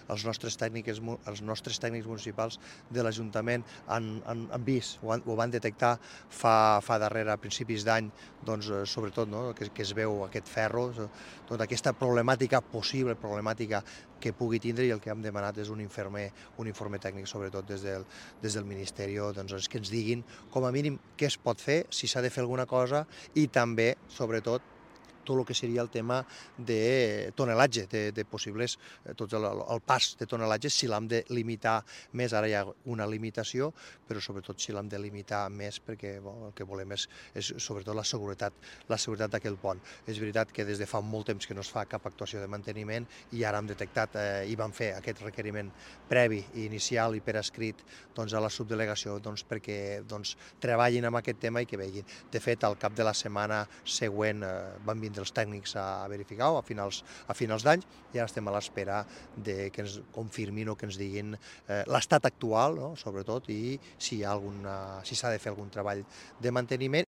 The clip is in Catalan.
els nostres tècnics municipals de l'Ajuntament han vist, ho van detectar fa darrere, a principis d'any, doncs, sobretot, no? que es veu aquest ferro, tota aquesta problemàtica, possible problemàtica que pugui tindre, i el que hem demanat és un informe tècnic, sobretot des del Ministeri, doncs, que ens diguin com a mínim què es pot fer, si s'ha de fer alguna cosa, i també, sobretot, tot el que seria el tema de tonelatge, de possibles, tot el pas de tonelatge, si l'hem de limitar més, ara hi ha una limitació, però sobretot si l'hem de limitar més, perquè el que volem és sobretot la seguretat d'aquell pont. És veritat que des de fa molt temps que no es fa cap actuació de manteniment, i ara hem detectat i vam fer aquest requeriment previ, inicial i per escrit, doncs, a la subdelegació, perquè treballin amb aquest tema i que vegin. De fet, al cap de la setmana següent van vindre els tècnics a verificar-ho a finals d'any, i ara estem a l'espera que ens confirmin o que ens diguin l'estat actual, no? Sobretot, i si s'ha de fer algun treball de manteniment,